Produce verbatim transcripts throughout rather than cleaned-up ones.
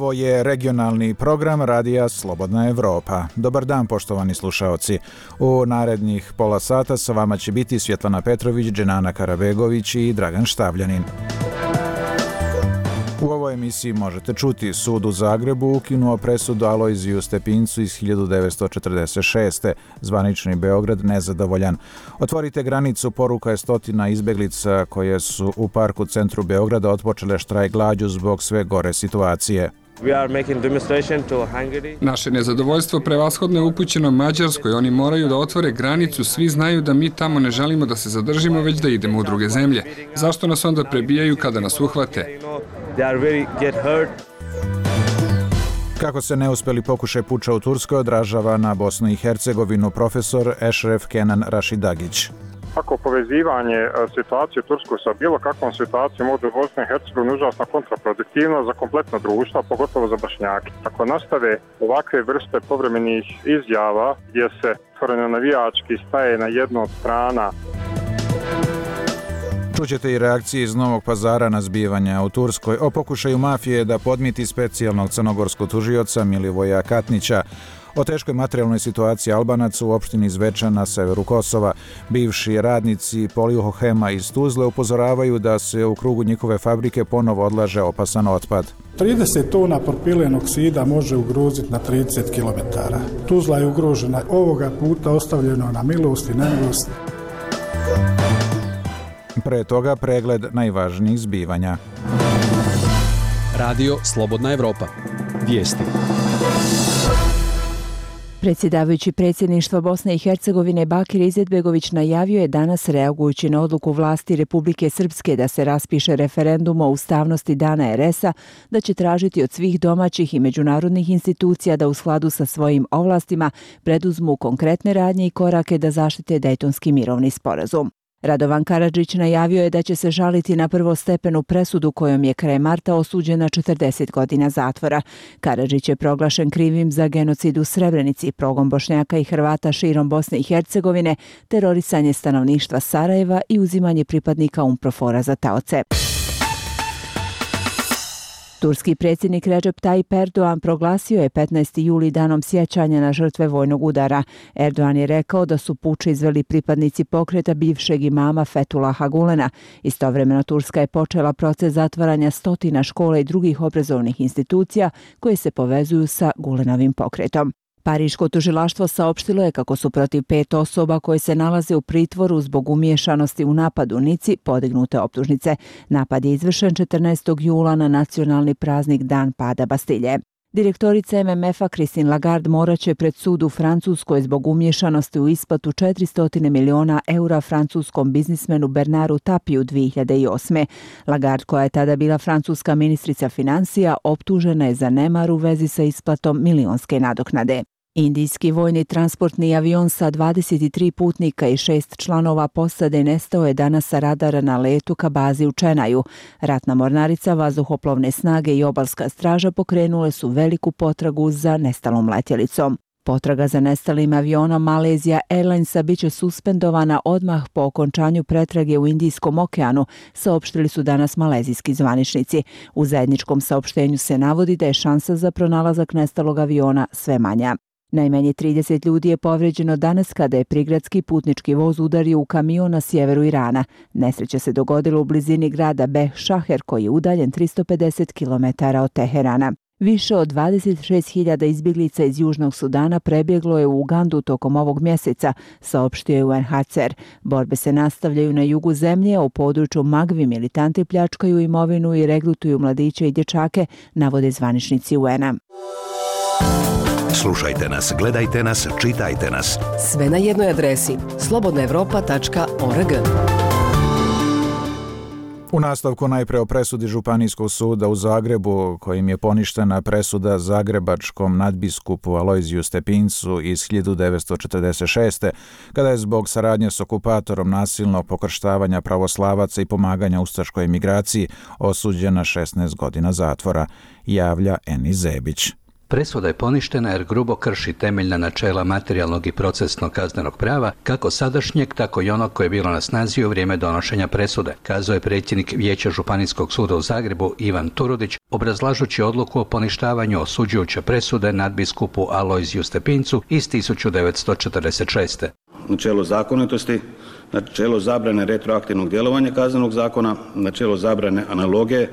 Ovo je regionalni program Radija Slobodna Evropa. Dobar dan, poštovani slušaoci. U narednih pola sata sa vama će biti Svjetlana Petrović, Dženana Karabegović i Dragan Štavljanin. U ovoj emisiji možete čuti: sud u Zagrebu ukinuo presudu Alojziju Stepincu iz hiljadu devetsto četrdeset šeste. Zvanični Beograd nezadovoljan. Otvorite granicu, poruka je stotina izbeglica koje su u parku centru Beograda otpočele štrajk glađu zbog sve gore situacije. Naše nezadovoljstvo prevashodno je upućeno Mađarskoj. Oni moraju da otvore granicu. Svi znaju da mi tamo ne želimo da se zadržimo, već da idemo u druge zemlje. Zašto nas onda prebijaju kada nas uhvate? Kako se neuspjeli pokušaj puča u Turskoj odražava na Bosnu i Hercegovinu, profesor Ešref Kenan Rašidagić. Ako povezivanje situacije u Turskoj sa bilo kakvom situacijom ovdje u Bosni i Hercegovini užasno kontraproduktivno za kompletno društvo, pogotovo za Bošnjake. Ako nastave ovakve vrste povremenih izjava gdje se otvoreno navijački staje na jednu od strana. Čućete i reakcije iz Novog Pazara na zbivanja u Turskoj o pokušaju mafije da podmiti specijalnog crnogorskog tužioca Milivoja Katnića, o teškoj materijalnoj situaciji Albanaca u opštini Zvečan na severu Kosova. Bivši radnici Polihohema iz Tuzle upozoravaju da se u krugu njihove fabrike ponovo odlaže opasan otpad. trideset tona propilenog oksida može ugroziti na trideset kilometara. Tuzla je ugrožena, ovoga puta ostavljeno na milost i nemilost. Pre toga pregled najvažnijih zbivanja. Radio Slobodna Evropa. Vijesti. Predsjedavajući predsjedništva Bosne i Hercegovine Bakir Izetbegović najavio je danas, reagujući na odluku vlasti Republike Srpske da se raspiše referendum o ustavnosti dana er es a, da će tražiti od svih domaćih i međunarodnih institucija da u skladu sa svojim ovlastima preduzmu konkretne radnje i korake da zaštite Dejtonski mirovni sporazum. Radovan Karadžić najavio je da će se žaliti na prvostepenu presudu kojom je krajem marta osuđen na četrdeset godina zatvora. Karadžić je proglašen krivim za genocid u Srebrenici, progon Bošnjaka i Hrvata širom Bosne i Hercegovine, terorisanje stanovništva Sarajeva i uzimanje pripadnika UNPROFOR-a za taoce. Turski predsjednik Recep Tayyip Erdogan proglasio je petnaesti juli danom sjećanja na žrtve vojnog udara. Erdogan je rekao da su puč izveli pripadnici pokreta bivšeg imama Fethullaha Gulena. Istovremeno Turska je počela proces zatvaranja stotina škola i drugih obrazovnih institucija koje se povezuju sa Gulenovim pokretom. Pariško tužilaštvo saopštilo je kako su protiv pet osoba koje se nalaze u pritvoru zbog umiješanosti u napad u Nici podignute optužnice. Napad je izvršen četrnaestog jula na nacionalni praznik Dan pada Bastilje. Direktorica em em ef-a Christine Lagarde morat će pred sud u Francuskoj zbog umiješanosti u isplatu četiristo miliona eura francuskom biznismenu Bernardu Tapiju dvije hiljade osme. Lagarde, koja je tada bila francuska ministrica financija, optužena je za nemar u vezi sa isplatom milionske nadoknade. Indijski vojni transportni avion sa dvadeset tri putnika i šest članova posade nestao je danas sa radara na letu ka bazi u Čenaju. Ratna mornarica, vazduhoplovne snage i obalska straža pokrenule su veliku potragu za nestalom letjelicom. Potraga za nestalim avionom Malaysia Airlinesa biće suspendovana odmah po okončanju pretrage u Indijskom okeanu, saopštili su danas malezijski zvaničnici. U zajedničkom saopštenju se navodi da je šansa za pronalazak nestalog aviona sve manja. Najmanje trideset ljudi je povređeno danas kada je prigradski putnički voz udario u kamion na sjeveru Irana. Nesreća se dogodila u blizini grada Beh Šaher, koji je udaljen tristo pedeset kilometara od Teherana. Više od dvadeset šest hiljada izbjeglica iz Južnog Sudana prebjeglo je u Ugandu tokom ovog mjeseca, saopštio je u en ha ce er. Borbe se nastavljaju na jugu zemlje, a u području Magvi militanti pljačkaju imovinu i regrutuju mladiće i dječake, navode zvaničnici u en a. Slušajte nas, gledajte nas, čitajte nas. Sve na jednoj adresi slobodna evropa tačka org. U nastavku najpre o presudi Županijskog suda u Zagrebu, kojim je poništena presuda zagrebačkom nadbiskupu Alojziju Stepincu iz hiljadu devetsto četrdeset šeste. kada je zbog saradnje s okupatorom nasilnog pokrštavanja pravoslavaca i pomaganja ustaškoj emigraciji osuđena šesnaest godina zatvora, javlja Eni Zebić. Presuda je poništena jer grubo krši temeljna načela materijalnog i procesnog kaznenog prava, kako sadašnjeg, tako i onog koje je bilo na snazi u vrijeme donošenja presude, kazao je predsjednik Vijeća Županijskog suda u Zagrebu Ivan Turudić, obrazlažući odluku o poništavanju osuđujuće presude nadbiskupu Alojziju Stepincu iz tisuću devetsto četrdeset šeste. Načelo zakonitosti, načelo zabrane retroaktivnog djelovanja kaznenog zakona, načelo zabrane analogije,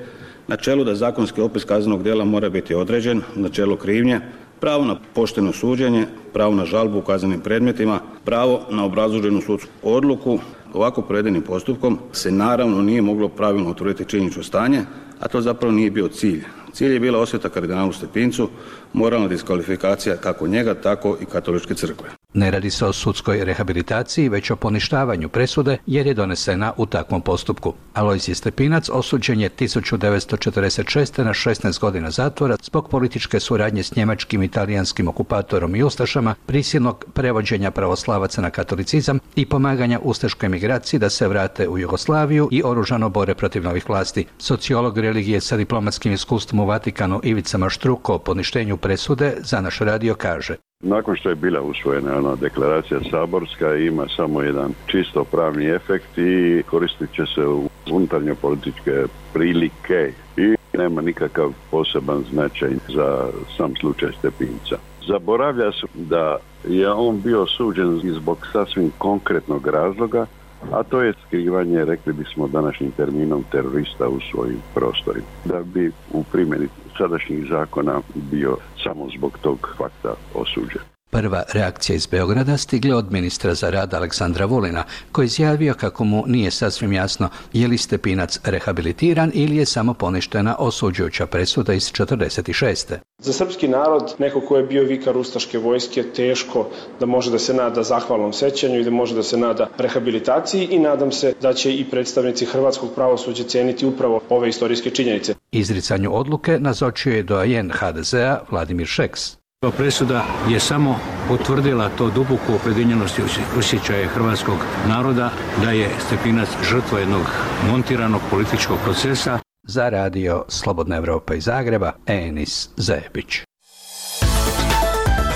načelo da zakonski opis kaznenog djela mora biti određen, načelo krivnje, pravo na pošteno suđenje, pravo na žalbu u kaznenim predmetima, pravo na obrazloženu sudsku odluku. Ovako provedenim postupkom se naravno nije moglo pravilno utvrditi činjenično stanje, a to zapravo nije bio cilj. Cilj je bila osveta kardinalu Stepincu, moralna diskvalifikacija kako njega, tako i katoličke crkve. Ne radi se o sudskoj rehabilitaciji, već o poništavanju presude jer je donesena u takvom postupku. Alojzij Stepinac osuđen je tisuću devetsto četrdeset šeste. na šesnaest godina zatvora zbog političke suradnje s njemačkim i talijanskim okupatorom i ustašama, prisilnog prevođenja pravoslavaca na katolicizam i pomaganja ustaškoj migraciji da se vrate u Jugoslaviju i oružano bore protiv novih vlasti. Sociolog religije sa diplomatskim iskustvom u Vatikanu Ivica Maštruko o poništenju presude za naš radio kaže: Nakon što je bila usvojena ona deklaracija saborska, ima samo jedan čisto pravni efekt i koristit će se u unutarnje političke prilike i nema nikakav poseban značaj za sam slučaj Stepinca. Zaboravlja se da je on bio suđen zbog sasvim konkretnog razloga, a to je skrivanje, rekli bismo današnjim terminom, terorista u svojim prostorima. Da bi u primjeni sadašnjih zakona bio samo zbog tog fakta osuđen. Prva reakcija iz Beograda stigla od ministra za rad Aleksandra Vulina, koji je izjavio kako mu nije sasvim jasno je li Stepinac rehabilitiran ili je samo poništena osuđujuća presuda iz četrdeset šeste. Za srpski narod, neko ko je bio vikar ustaške vojske, teško da može da se nada zahvalnom sećanju i da može da se nada rehabilitaciji i nadam se da će i predstavnici hrvatskog pravosuđa ceniti upravo ove istorijske činjenice. Izricanju odluke nazočio je doajen ha de zea Vladimir Šeks. Presuda je samo potvrdila to duboku opredjeljenost i osjećaje hrvatskog naroda da je Stepinac žrtva jednog montiranog političkog procesa. Za radio Slobodna Evropa iz Zagreba, Enis Zebić.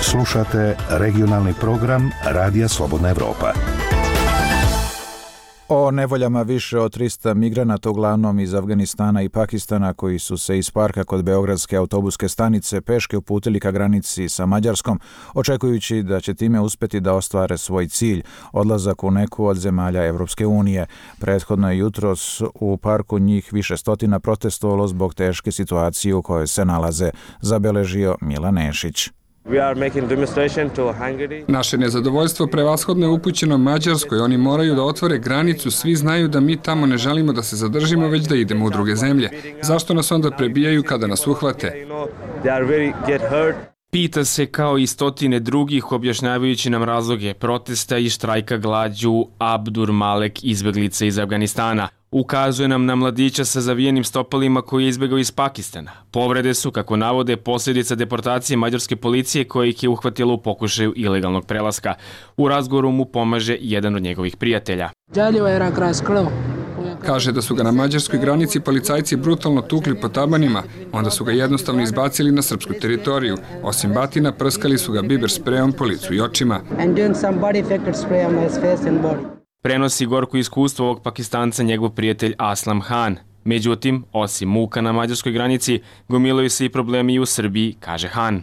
Slušate regionalni program Radija Slobodna Evropa. O nevoljama više od trista migranata, uglavnom iz Afganistana i Pakistana, koji su se iz parka kod beogradske autobuske stanice peške uputili ka granici sa Mađarskom, očekujući da će time uspjeti da ostvare svoj cilj, odlazak u neku od zemalja Evropske unije. Prethodno je jutros u parku njih više stotina protestovalo zbog teške situacije u kojoj se nalaze, zabeležio Milan Nešić. Naše nezadovoljstvo prevashodno je upućeno Mađarskoj. Oni moraju da otvore granicu. Svi znaju da mi tamo ne želimo da se zadržimo, već da idemo u druge zemlje. Zašto nas onda prebijaju kada nas uhvate? Pita se kao i stotine drugih, objašnjavajući nam razloge protesta i štrajka glađu Abdur Malek, izbeglica iz Afganistana. Ukazuje nam na mladića sa zavijenim stopalima koji je izbegao iz Pakistana. Povrede su, kako navode, posljedica deportacije mađarske policije koja ih je uhvatila u pokušaju ilegalnog prelaska. U razgovoru mu pomaže jedan od njegovih prijatelja. Kaže da su ga na mađarskoj granici policajci brutalno tukli po tabanima, onda su ga jednostavno izbacili na srpsku teritoriju. Osim batina, prskali su ga biber sprejom po licu i očima. Prenosi gorko iskustvo ovog Pakistanca njegov prijatelj Aslam Han. Međutim, osim muka na mađarskoj granici, gomilaju se i problemi i u Srbiji, kaže Han.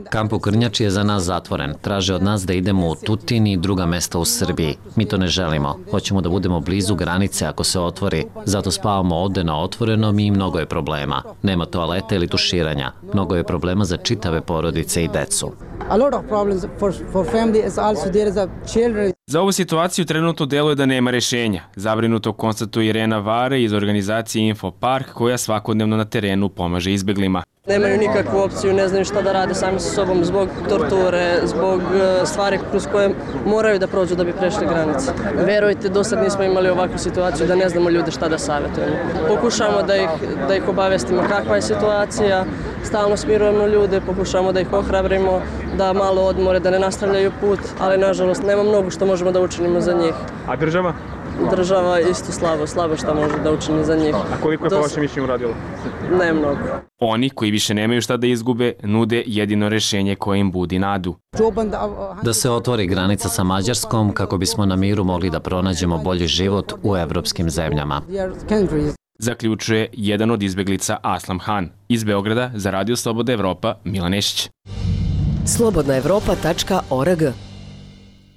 Kamp u Krnjači je za nas zatvoren. Traže od nas da idemo u Tutin i druga mesta u Srbiji. Mi to ne želimo. Hoćemo da budemo blizu granice ako se otvori. Zato spavamo ovde na otvorenom i mnogo je problema. Nema toaleta ili tuširanja. Mnogo je problema za čitave porodice i decu. Za ovu situaciju trenutno deluje da nema rešenja. Zabrinuto konstatuje Irena Vare iz organizacije Infopark, koja svakodnevno na terenu pomaže izbeglima. Nemaju nikakvu opciju, ne znaju šta da rade sami sa sobom zbog torture, zbog stvari kroz koje moraju da prođu da bi prešli granice. Verujte, do sad nismo imali ovakvu situaciju da ne znamo ljude šta da savjetujemo. Pokušamo da ih, da ih obavestimo kakva je situacija, stalno smirujemo ljude, pokušamo da ih ohrabrimo, da malo odmore, da ne nastavljaju put, ali nažalost nema mnogo što možemo da učinimo za njih. A država? država isto slabo, slabo šta može da učini za njih. A koliko je po vašem mišljenju uradilo? Ne mnogo. Oni koji više nemaju šta da izgube, nude jedino rešenje koje im budi nadu. Da se otvori granica sa Mađarskom kako bismo na miru mogli da pronađemo bolji život u evropskim zemljama. Zaključuje jedan od izbeglica Aslam Han. Iz Beograda za Radio Sloboda Evropa, Milan Nešić. slobodna evropa tačka org.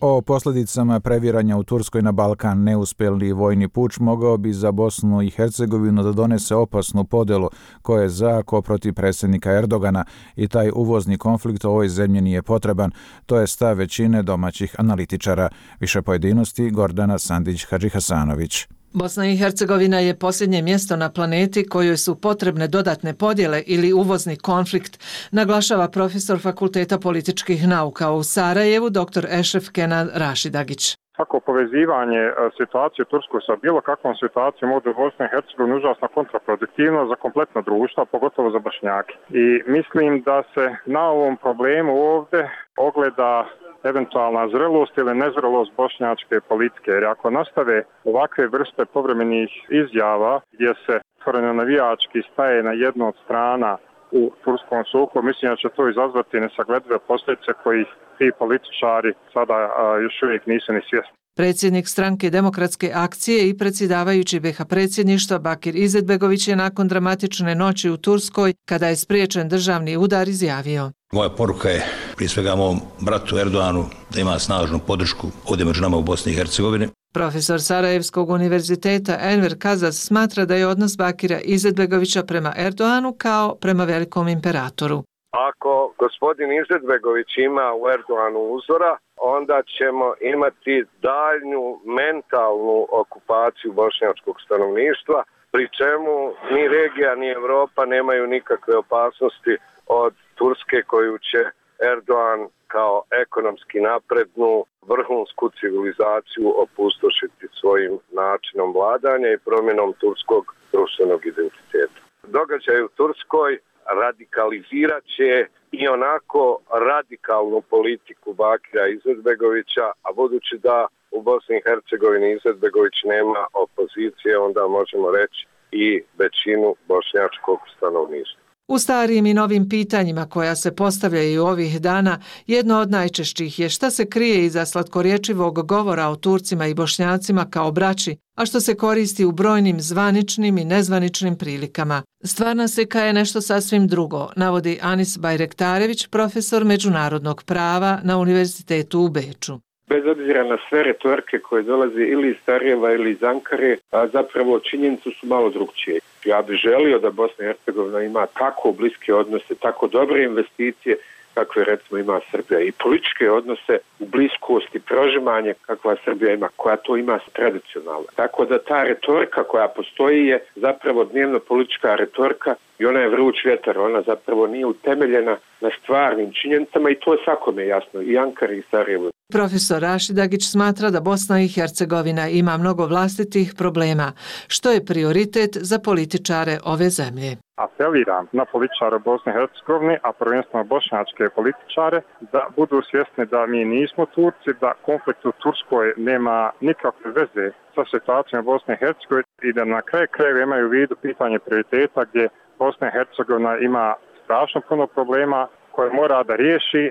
O posljedicama previranja u Turskoj na Balkan neuspjeli vojni puč mogao bi za Bosnu i Hercegovinu da donese opasnu podelu koja je za ko protiv predsjednika Erdogana i taj uvozni konflikt u ovoj zemlji nije potreban. To je stav većine domaćih analitičara. Više pojedinosti Gordana Sandić-Hadžihasanović. Bosna i Hercegovina je posljednje mjesto na planeti kojoj su potrebne dodatne podjele ili uvozni konflikt, naglašava profesor Fakulteta političkih nauka u Sarajevu, dr Ešref Kenan Rašidagić. Svako povezivanje situacije u Turskoj sa bilo kakvom situacijom ovdje u Bosni i Hercegovini užasno kontraproduktivno za kompletno društvo, pogotovo za Bošnjake. I mislim da se na ovom problemu ovdje ogleda eventualna zrelost ili nezrelost bošnjačke politike. Jer ako nastave ovakve vrste povremenih izjava gdje se otvoreno navijački staje na jednu od strana u turskom sukobu, mislim da će to izazvati nesagledive posljedice kojih ti političari sada a, još uvijek nisu ni svjesni. Predsjednik stranke Demokratske akcije i predsjedavajući B iH predsjedništva Bakir Izetbegović je nakon dramatične noći u Turskoj, kada je spriječen državni udar, izjavio: Moja poruka je prije svega mom bratu Erdoganu da ima snažnu podršku ovdje među nama u Bosni i Hercegovini. Profesor Sarajevskog univerziteta Enver Kazas smatra da je odnos Bakira Izetbegovića prema Erdoganu kao prema velikom imperatoru. Ako gospodin Izetbegović ima u Erdoganu uzora, onda ćemo imati daljnju mentalnu okupaciju bošnjačkog stanovništva, pri čemu ni regija ni Evropa nemaju nikakve opasnosti od Turske koju će Erdogan kao ekonomski naprednu vrhunsku civilizaciju opustošiti svojim načinom vladanja i promjenom turskog društvenog identiteta. Događaj u Turskoj radikalizirat će i onako radikalnu politiku Bakira Izetbegovića, a budući da u Bosni i Hercegovini Izetbegović nema opozicije, onda možemo reći i većinu bošnjačkog stanovništva. U starijim i novim pitanjima koja se postavljaju ovih dana, jedno od najčešćih je šta se krije iza slatkorječivog govora o Turcima i Bošnjacima kao braći, a što se koristi u brojnim zvaničnim i nezvaničnim prilikama. Stvarna slika je nešto sasvim drugo, navodi Anis Bajrektarević, profesor međunarodnog prava na Univerzitetu u Beču. Bez obzira na sve retorike koje dolaze ili iz Sarajeva ili iz Ankare, a zapravo činjenice su malo drugčije. Ja bih želio da Bosna i Hercegovina ima tako bliske odnose, tako dobre investicije kakve recimo ima Srbija i političke odnose u bliskosti, prožimanje kakva Srbija ima, koja to ima tradicionalno. Tako da ta retorika koja postoji je zapravo dnevno politička retorika i ona je vruć vjetar, ona zapravo nije utemeljena na stvarnim činjenicama i to je svakome jasno, i Ankari i Sarajevo. Profesor Rašidagić smatra da Bosna i Hercegovina ima mnogo vlastitih problema, što je prioritet za političare ove zemlje. Apeliram na političare Bosne i Hercegovine, a prvenstveno bošnjačke političare, da budu svjesni da mi nismo Turci, da konflikt u Turskoj nema nikakve veze sa situacijom Bosne i Hercegovine i da na kraju krajeva imaju u vidu pitanje prioriteta gdje Bosna i Hercegovina ima strašno puno problema koje mora da riješi,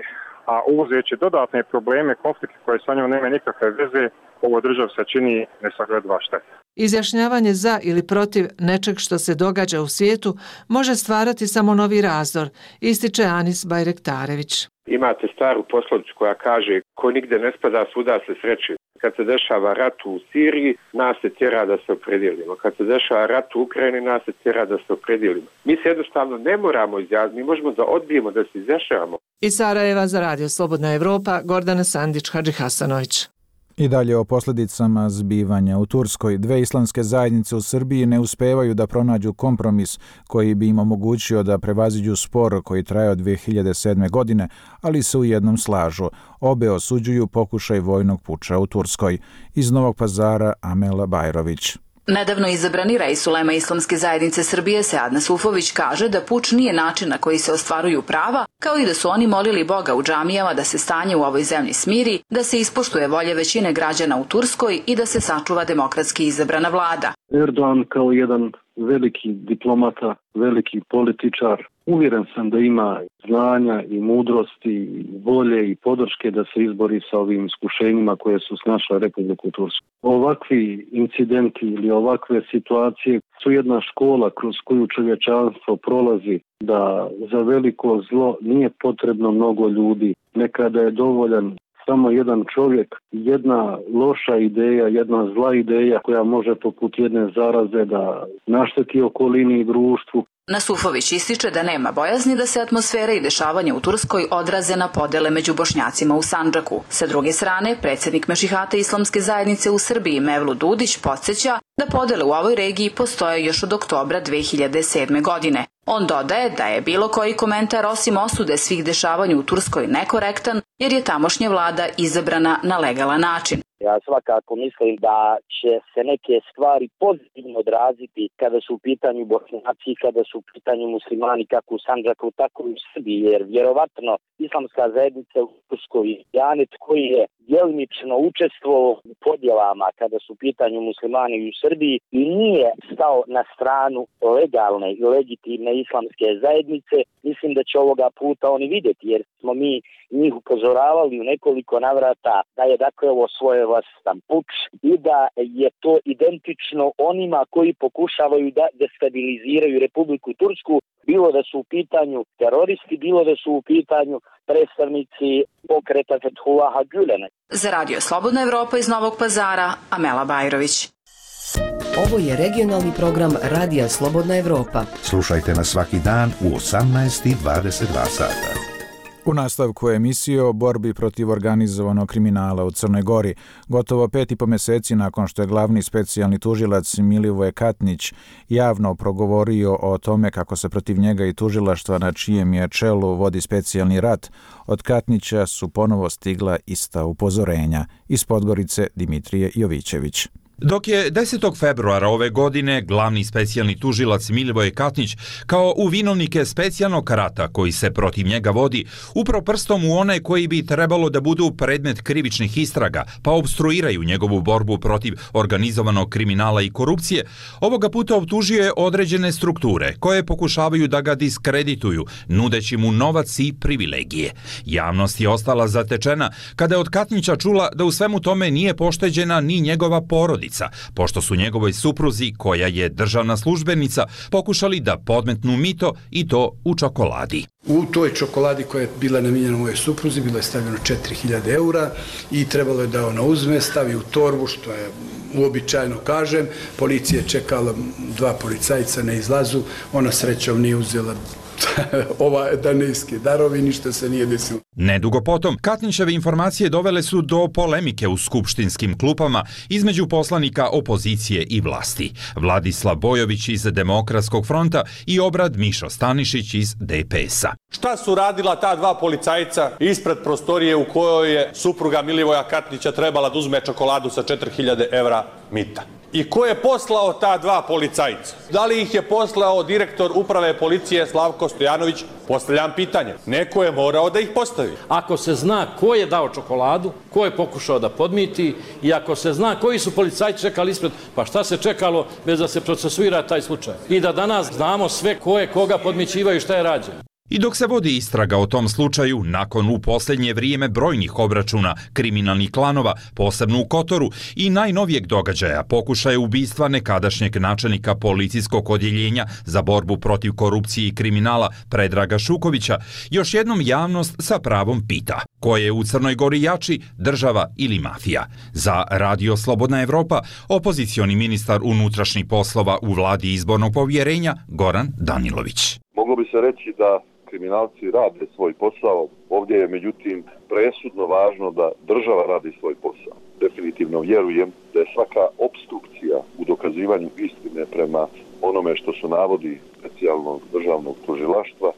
a uvozeći dodatne probleme, konflikte koje sa njom nema nikakve veze, ovo držav se čini nesaglediva šteta. Izjašnjavanje za ili protiv nečeg što se događa u svijetu može stvarati samo novi razdor, ističe Anis Bajrektarević. Imate staru poslovicu koja kaže ko nigde ne spada, svuda se sreće. Kad se dešava rat u Siriji, nas se tjera da se opredijelimo. Kad se dešava rat u Ukrajini, nas se tjera da se opredijelimo. Mi se jednostavno ne moramo izjasniti, mi možemo da odbijemo da se izjašnjavamo. Iz Sarajeva za Radio Slobodna Evropa, Gordana Sandić-Hadžihasanović. I dalje o posljedicama zbivanja u Turskoj. Dve islamske zajednice u Srbiji ne uspevaju da pronađu kompromis koji bi im omogućio da prevaziđu spor koji traje od dvije hiljade sedme. godine, ali se u jednom slažu. Obe osuđuju pokušaj vojnog puča u Turskoj. Iz Novog Pazara Amela Bajrović. Nedavno izabrani rais ulema Islamske zajednice Srbije Sead Nasufović kaže da puč nije način na koji se ostvaruju prava, kao i da su oni molili Boga u džamijama da se stanje u ovoj zemlji smiri, da se ispoštuje volje većine građana u Turskoj i da se sačuva demokratski izabrana vlada. Erdogan kao jedan veliki diplomata, veliki političar, uvjeren sam da ima znanja i mudrosti, volje i podrške da se izbori sa ovim iskušenjima koje su snašle Republiku Tursku. Ovakvi incidenti ili ovakve situacije su jedna škola kroz koju čovječanstvo prolazi, da za veliko zlo nije potrebno mnogo ljudi. Nekada je dovoljan samo jedan čovjek, jedna loša ideja, jedna zla ideja koja može poput jedne zaraze da našteti okolini i društvu. Nasufović ističe da nema bojazni da se atmosfera i dešavanja u Turskoj odraze na podele među Bošnjacima u Sandžaku. Sa druge strane, predsjednik Mešihata Islamske zajednice u Srbiji Mevlut Dudić podsjeća da podele u ovoj regiji postoje još od oktobra dve hiljade sedme. godine. On dodaje da je bilo koji komentar osim osude svih dešavanja u Turskoj nekorektan jer je tamošnja vlada izabrana na legalan način. Ja svakako mislim da će se neke stvari pozitivno odraziti kada su u pitanju Bošnjaci, kada su u pitanju muslimani kako u Sandžaku, tako i u Srbiji, jer vjerovatno Islamska zajednica u Turskoj Janet koji je djelimično učestvovao u podjelama kada su u pitanju muslimani u Srbiji i nije stao na stranu legalne i legitimne islamske zajednice, mislim da će ovoga puta oni vidjeti, jer smo mi njih upozoravali u nekoliko navrata da je dakle ovo svojevrstan puč i da je to identično onima koji pokušavaju da destabiliziraju Republiku Tursku, bilo da su u pitanju teroristi, bilo da su u pitanju predstavnici pokreta Fethullaha Gülena. Za Radio Slobodna Evropa iz Novog Pazara, Amela Bajrović. Ovo je regionalni program Radija Slobodna Evropa. Slušajte nas svaki dan u osamnaest i dvadeset dva sata. U nastavku emisije o borbi protiv organizovanog kriminala u Crnoj Gori, gotovo pet i po mjeseci nakon što je glavni specijalni tužilac Milivoje Katnić javno progovorio o tome kako se protiv njega i tužilaštva na čijem je čelu vodi specijalni rat, od Katnića su ponovo stigla ista upozorenja. Iz Podgorice Dimitrije Jovićević. Dok je desetog februara ove godine glavni specijalni tužilac Milivoje Katnić kao u vinovnike specijalnog rata koji se protiv njega vodi upravo prstom u one koji bi trebalo da budu predmet krivičnih istraga pa obstruiraju njegovu borbu protiv organizovanog kriminala i korupcije, ovoga puta optužio je određene strukture koje pokušavaju da ga diskredituju nudeći mu novac i privilegije. Javnost je ostala zatečena kada je od Katnića čula da u svemu tome nije pošteđena ni njegova porodica, pošto su njegovoj supruzi, koja je državna službenica, pokušali da podmetnu mito i to u čokoladi. U toj čokoladi koja je bila namijenjena mojoj supruzi bilo je stavljeno četiri hiljade eura i trebalo je da ona uzme, stavi u torbu, što je uobičajeno kažem. Policija je čekala, dva policajca na izlazu, ona srećom nije uzela ova danejske darovi, ništa se nije desilo. Nedugo potom, Katnićeve informacije dovele su do polemike u skupštinskim klupama između poslanika opozicije i vlasti. Vladislav Bojović iz Demokratskog fronta i Obrad Mišo Stanišić iz D P S-a. Šta su radila ta dva policajca ispred prostorije u kojoj je supruga Milivoja Katnića trebala da uzme čokoladu sa četiri hiljade evra mita? I ko je poslao ta dva policajca? Da li ih je poslao direktor uprave policije Slavko Stojanović? Postavljam pitanje. Neko je morao da ih postavi. Ako se zna ko je dao čokoladu, ko je pokušao da podmiti i ako se zna koji su policajci čekali ispred, pa šta se čekalo bez da se procesuira taj slučaj? I da danas znamo sve ko je koga podmićivaju i šta je rađeno. I dok se vodi istraga o tom slučaju, nakon u posljednje vrijeme brojnih obračuna kriminalnih klanova, posebno u Kotoru, i najnovijeg događaja pokušaja ubistva nekadašnjeg načelnika policijskog odjeljenja za borbu protiv korupcije i kriminala Predraga Šukovića, još jednom javnost sa pravom pita ko je u Crnoj Gori jači, država ili mafija. Za Radio Slobodna Evropa, opozicioni ministar unutrašnjih poslova u vladi izbornog povjerenja Goran Danilović. Moglo bi se reći da kriminalci rade svoj posao. Ovdje je međutim presudno važno da država radi svoj posao. Definitivno vjerujem da je svaka opstrukcija u dokazivanju istine prema onome što su navodi specijalnog državnog tužilaštva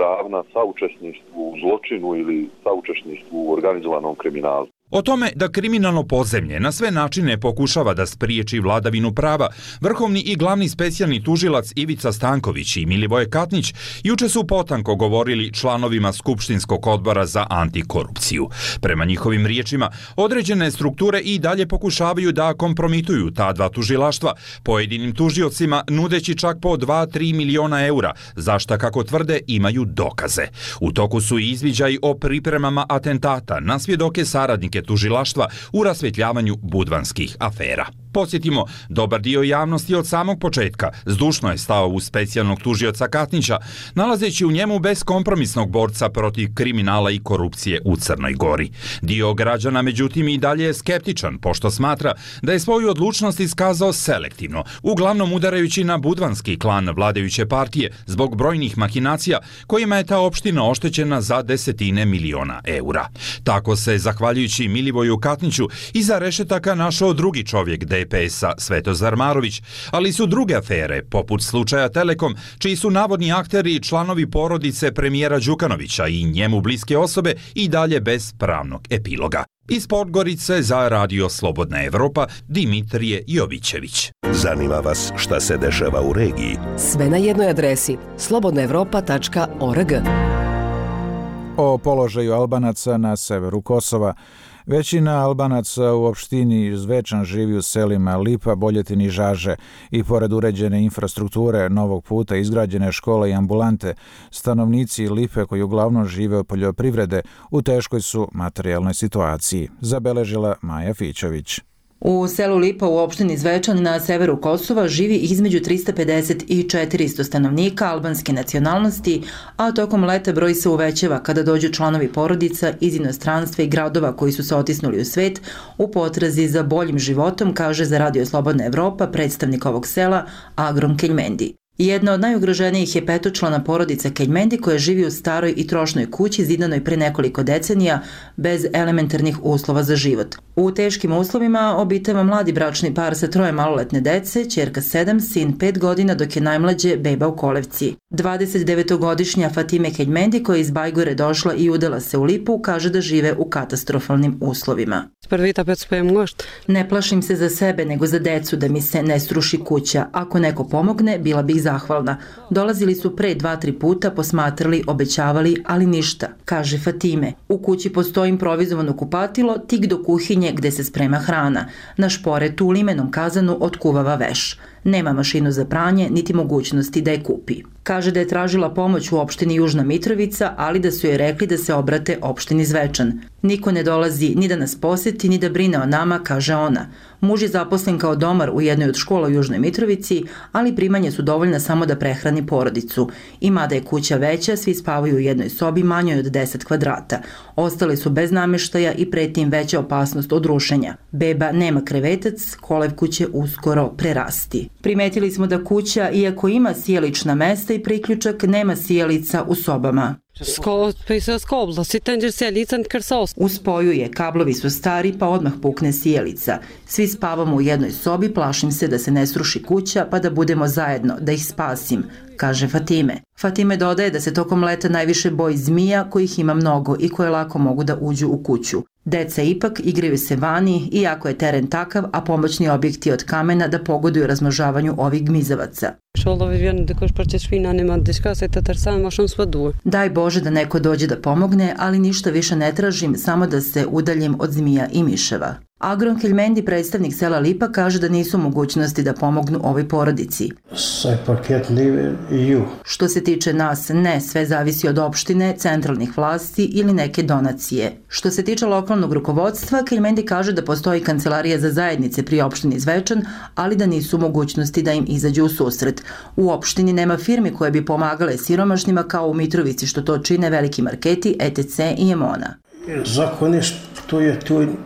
ravna saučesništvu u zločinu ili saučesništvu u organizovanom kriminalu. O tome da kriminalno podzemlje na sve načine pokušava da spriječi vladavinu prava, vrhovni i glavni specijalni tužilac Ivica Stanković i Milivoje Katnić juče su potanko govorili članovima Skupštinskog odbora za antikorupciju. Prema njihovim riječima, određene strukture i dalje pokušavaju da kompromituju ta dva tužilaštva, pojedinim tužiocima nudeći čak po dva do tri miliona eura, za šta, kako tvrde, imaju dokaze. U toku su i izviđaji o pripremama atentata na svjedoke saradnike tužilaštva u rasvjetljavanju budvanskih afera. Podsjetimo, dobar dio javnosti od samog početka zdušno je stao uz specijalnog tužioca Katnića, nalazeći u njemu beskompromisnog borca protiv kriminala i korupcije u Crnoj Gori. Dio građana, međutim, i dalje je skeptičan, pošto smatra da je svoju odlučnost iskazao selektivno, uglavnom udarajući na budvanski klan vladajuće partije zbog brojnih mahinacija kojima je ta opština oštećena za desetine miliona eura. Tako se, zahvaljujući Milivoju Katniću, iza rešetaka našao drugi čovjek D P S-a Svetozar Marović, ali su druge afere, poput slučaja Telekom, čiji su navodni akteri i članovi porodice premijera Đukanovića i njemu bliske osobe, i dalje bez pravnog epiloga. Iz Podgorice za Radio Slobodna Evropa, Dimitrije Jovićević. Zanima vas šta se dešava u regiji? Sve na jednoj adresi slobodna evropa tačka org. O položaju Albanaca na severu Kosova. Većina Albanaca u opštini Zvečan živi u selima Lipa, Boljetin i Žaže i pored uređene infrastrukture, novog puta, izgrađene škole i ambulante, stanovnici Lipe koji uglavnom žive od poljoprivrede u teškoj su materijalnoj situaciji, zabeležila Maja Fićović. U selu Lipa u opštini Zvečan na severu Kosova živi između trista pedeset i četiristo stanovnika albanske nacionalnosti, a tokom leta broj se uvećava kada dođu članovi porodica iz inostranstva i gradova koji su se otisnuli u svet u potrazi za boljim životom, kaže za Radio Slobodna Evropa predstavnik ovog sela Agrom Keljmendi. Jedna od najugroženijih je petočlana porodica Keljmendi koja živi u staroj i trošnoj kući zidanoj pre nekoliko decenija bez elementarnih uslova za život. U teškim uslovima obitava mladi bračni par sa troje maloletne dece, ćerka sedam, sin pet godina, dok je najmlađe beba u kolevci. dvadesetdevetogodišnja Fatime Keljmendi koja je iz Bajgore došla i udala se u Lipu, kaže da žive u katastrofalnim uslovima. Ne plašim se za sebe nego za decu da mi se ne sruši kuća. Ako neko pomogne, bila bih zahvalna. Dolazili su pre dva, tri puta, posmatrali, obećavali, ali ništa, kaže Fatime. U kući postoji improvizovano kupatilo tik do kuhinje gde se sprema hrana. Na šporetu u limenom kazanu otkuvava veš. Nema mašinu za pranje, niti mogućnosti da je kupi. Kaže da je tražila pomoć u opštini Južna Mitrovica, ali da su joj rekli da se obrate opštini Zvečan. Niko ne dolazi ni da nas poseti, ni da brine o nama, kaže ona. Muž je zaposlen kao domar u jednoj od škola u Južnoj Mitrovici, ali primanje su dovoljna samo da prehrani porodicu. I mada je kuća veća, svi spavaju u jednoj sobi manjoj od deset kvadrata. Ostali su bez namještaja i preti im veća opasnost od rušenja. Beba nema krevetac, kolevku će uskoro prerasti. Primetili smo da kuća, iako ima sjelična mesta i priključak, nema sjelica u sobama. U spoju je, kablovi su stari pa odmah pukne sjelica. Svi spavamo u jednoj sobi, plašim se da se ne sruši kuća pa da budemo zajedno, da ih spasim, kaže Fatime. Fatime dodaje da se tokom leta najviše boji zmija kojih ima mnogo i koje lako mogu da uđu u kuću. Deca ipak igraju se vani, iako je teren takav, a pomoćni objekti od kamena da pogoduju razmnožavanju ovih gmizavaca. Daj Bože da neko dođe da pomogne, ali ništa više ne tražim, samo da se udaljim od zmija i miševa. Agron Keljmendi, predstavnik sela Lipa, kaže da nisu mogućnosti da pomognu ovoj porodici. Što se tiče nas, ne, sve zavisi od opštine, centralnih vlasti ili neke donacije. Što se tiče lokalnog rukovodstva, Keljmendi kaže da postoji kancelarija za zajednice pri opštini Zvečan, ali da nisu mogućnosti da im izađu u susret. U opštini nema firmi koje bi pomagale siromašnima kao u Mitrovici, što to čine veliki marketi E T C i Emona.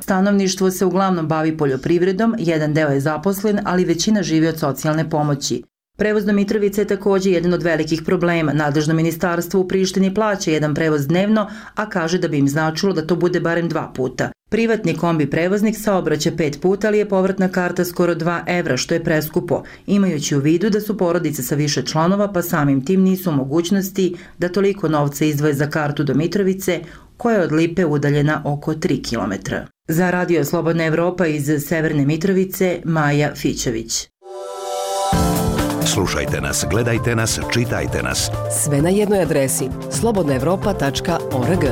Stanovništvo se uglavnom bavi poljoprivredom, jedan deo je zaposlen, ali većina živi od socijalne pomoći. Prevoz do Mitrovice je također jedan od velikih problema. Nadležno ministarstvo u Prištini plaća jedan prevoz dnevno, a kaže da bi im značilo da to bude barem dva puta. Privatni kombi prevoznik saobraća pet puta, ali je povratna karta skoro dva evra, što je preskupo, imajući u vidu da su porodice sa više članova, pa samim tim nisu u mogućnosti da toliko novca izdvoje za kartu do Mitrovice, koja je od Lipe udaljena oko tri kilometra. Za Radio Slobodna Evropa iz Severne Mitrovice, Maja Fićević. Slušajte nas, gledajte nas, čitajte nas. Sve na jednoj adresi slobodna evropa tačka org.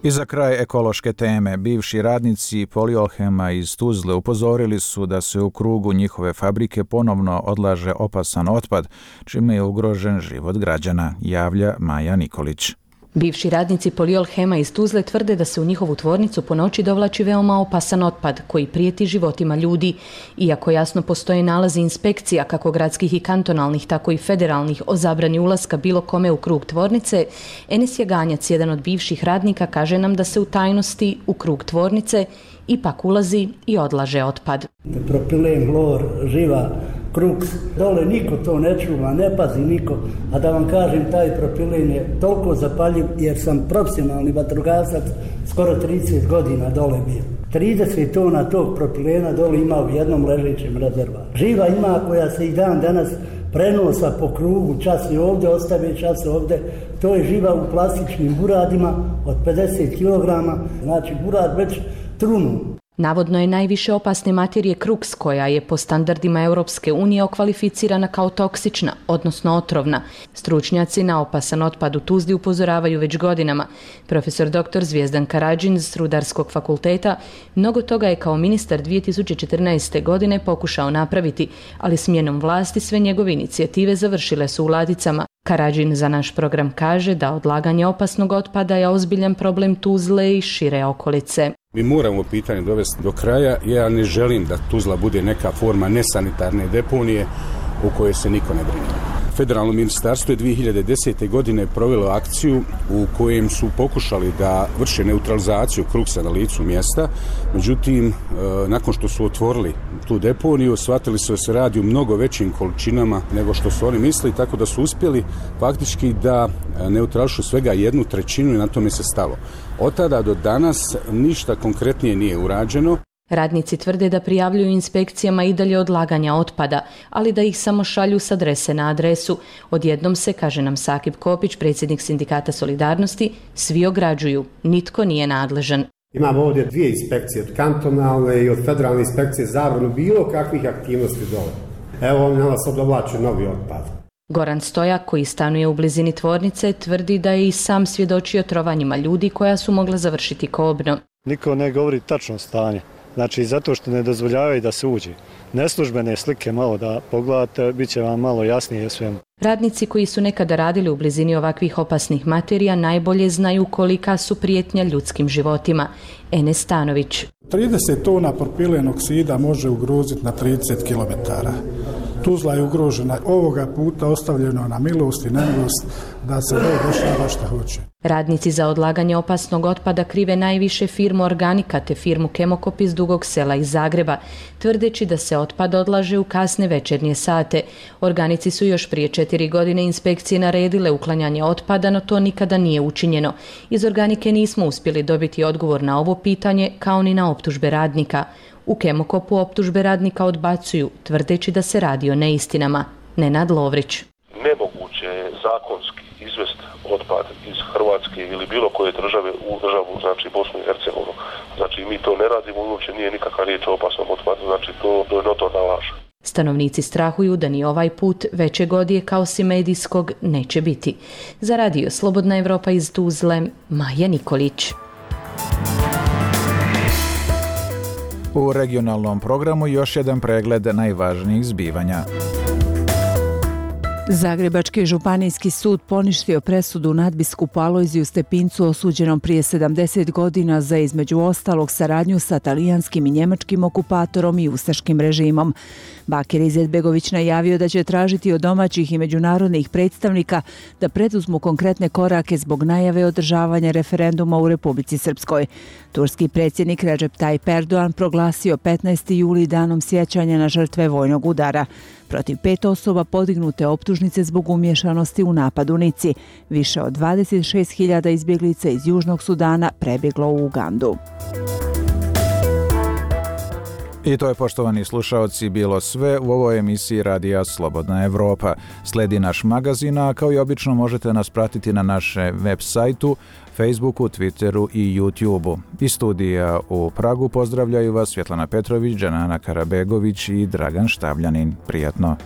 I za kraj ekološke teme, bivši radnici Poliolhema iz Tuzle upozorili su da se u krugu njihove fabrike ponovno odlaže opasan otpad, čime je ugrožen život građana, javlja Maja Nikolić. Bivši radnici Poliolhema iz Tuzle tvrde da se u njihovu tvornicu po noći dovlači veoma opasan otpad koji prijeti životima ljudi. Iako jasno postoje nalazi inspekcija kako gradskih i kantonalnih, tako i federalnih o zabrani ulaska bilo kome u krug tvornice, Enes Jaganjac, jedan od bivših radnika, kaže nam da se u tajnosti u krug tvornice ipak ulazi i odlaže otpad. Propilen, hlor, živa, kruks, dole niko to ne čuva, ne pazi niko, a da vam kažem, taj propilen je toliko zapaljiv jer sam profesionalni vatrogasac, skoro trideset godina dole bio. trideset tona tog propilena dole ima u jednom ležećem rezervaru. Živa ima koja se i dan danas prenosa po krugu, čas je ovdje, ostave čas ovdje, to je živa u plastičnim buradima od pedeset kilograma, znači burad već trunu. Navodno je najviše opasne materije kruks, koja je po standardima Europske unije okvalificirana kao toksična, odnosno otrovna. Stručnjaci na opasan otpad u Tuzli upozoravaju već godinama. Profesor doktor Zvijezdan Karadžin s Rudarskog fakulteta mnogo toga je kao ministar dvije tisuće četrnaeste. godine pokušao napraviti, ali smjenom vlasti sve njegove inicijative završile su u ladicama. Karadžin za naš program kaže da odlaganje opasnog otpada je ozbiljan problem Tuzle i šire okolice. Mi moramo pitanje dovesti do kraja. Ja ne želim da Tuzla bude neka forma nesanitarne deponije u kojoj se niko ne brine. Federalno ministarstvo je dvije hiljade desete. godine provelo akciju u kojem su pokušali da vrše neutralizaciju kruksa na licu mjesta. Međutim, nakon što su otvorili tu deponiju, shvatili su da se radi u mnogo većim količinama nego što su oni mislili, tako da su uspjeli faktički da neutrališu svega jednu trećinu i na tome se stalo. Od tada do danas ništa konkretnije nije urađeno. Radnici tvrde da prijavljuju inspekcijama i dalje odlaganja otpada, ali da ih samo šalju s adrese na adresu. Odjednom se, kaže nam Sakib Kopić, predsjednik Sindikata Solidarnosti, svi ograđuju, nitko nije nadležan. Imamo ovdje dvije inspekcije, od kantonalne i od federalne inspekcije, zabranu bilo kakvih aktivnosti dole. Evo oni na nas odovlače novi otpad. Goran Stojak, koji stanuje u blizini tvornice, tvrdi da je i sam svjedočio trovanjima ljudi koja su mogla završiti kobno. Niko ne govori tačno stanje. Znači, zato što ne dozvoljavaju da se uđe. Neslužbene slike malo da pogledate, bit će vam malo jasnije svemu. Radnici koji su nekada radili u blizini ovakvih opasnih materija najbolje znaju kolika su prijetnja ljudskim životima. Enes Stanović. trideset tona propilen oksida može ugroziti na trideset kilometara. Tuzla je ugrožena, ovoga puta ostavljeno na milost i nemilost da se ne dešava šta hoće. Radnici za odlaganje opasnog otpada krive najviše firmu Organika te firmu Kemokop iz Dugog Sela iz Zagreba, tvrdeći da se otpad odlaže u kasne večernje sate. Organici su još prije četiri godine inspekcije naredile uklanjanje otpada, no to nikada nije učinjeno. Iz Organike nismo uspjeli dobiti odgovor na ovo pitanje, kao ni na optužbe radnika. U Kemokopu optužbe radnika odbacuju, tvrdeći da se radi o neistinama. Nenad Lovrić. Nemoguće je zakonski izvesti otpad iz Hrvatske ili bilo koje države u državu, znači Bosnu i Hercegovinu. Znači mi to ne radimo, uopće nije nikakva riječ o opasnom otpadu, znači to, to je notorna laž. Stanovnici strahuju da ni ovaj put većeg odjeka osim medijskog neće biti. Za Radio Slobodna Evropa iz Tuzle, Maja Nikolić. U regionalnom programu još jedan pregled najvažnijih zbivanja. Zagrebački županijski sud poništio presudu nadbiskupu Alojziju Stepincu osuđenom prije sedamdeset godina za između ostalog saradnju sa talijanskim i njemačkim okupatorom i ustaškim režimom. Bakir Izetbegović najavio da će tražiti od domaćih i međunarodnih predstavnika da preduzmu konkretne korake zbog najave održavanja referenduma u Republici Srpskoj. Turski predsjednik Recep Tayyip Erdogan proglasio petnaesti juli danom sjećanja na žrtve vojnog udara. Protiv pet osoba podignute optužnice zbog umješanosti u napad u Nici. Više od dvadeset šest hiljada izbjeglica iz Južnog Sudana prebjeglo u Ugandu. I to je, poštovani slušaoci, bilo sve u ovoj emisiji Radija Slobodna Evropa. Sledi naš magazin, a kao i obično možete nas pratiti na našem web sajtu, Facebooku, Twitteru i YouTubeu. Iz studija u Pragu pozdravljaju vas Svjetlana Petrović, Džanana Karabegović i Dragan Štavljanin. Prijatno!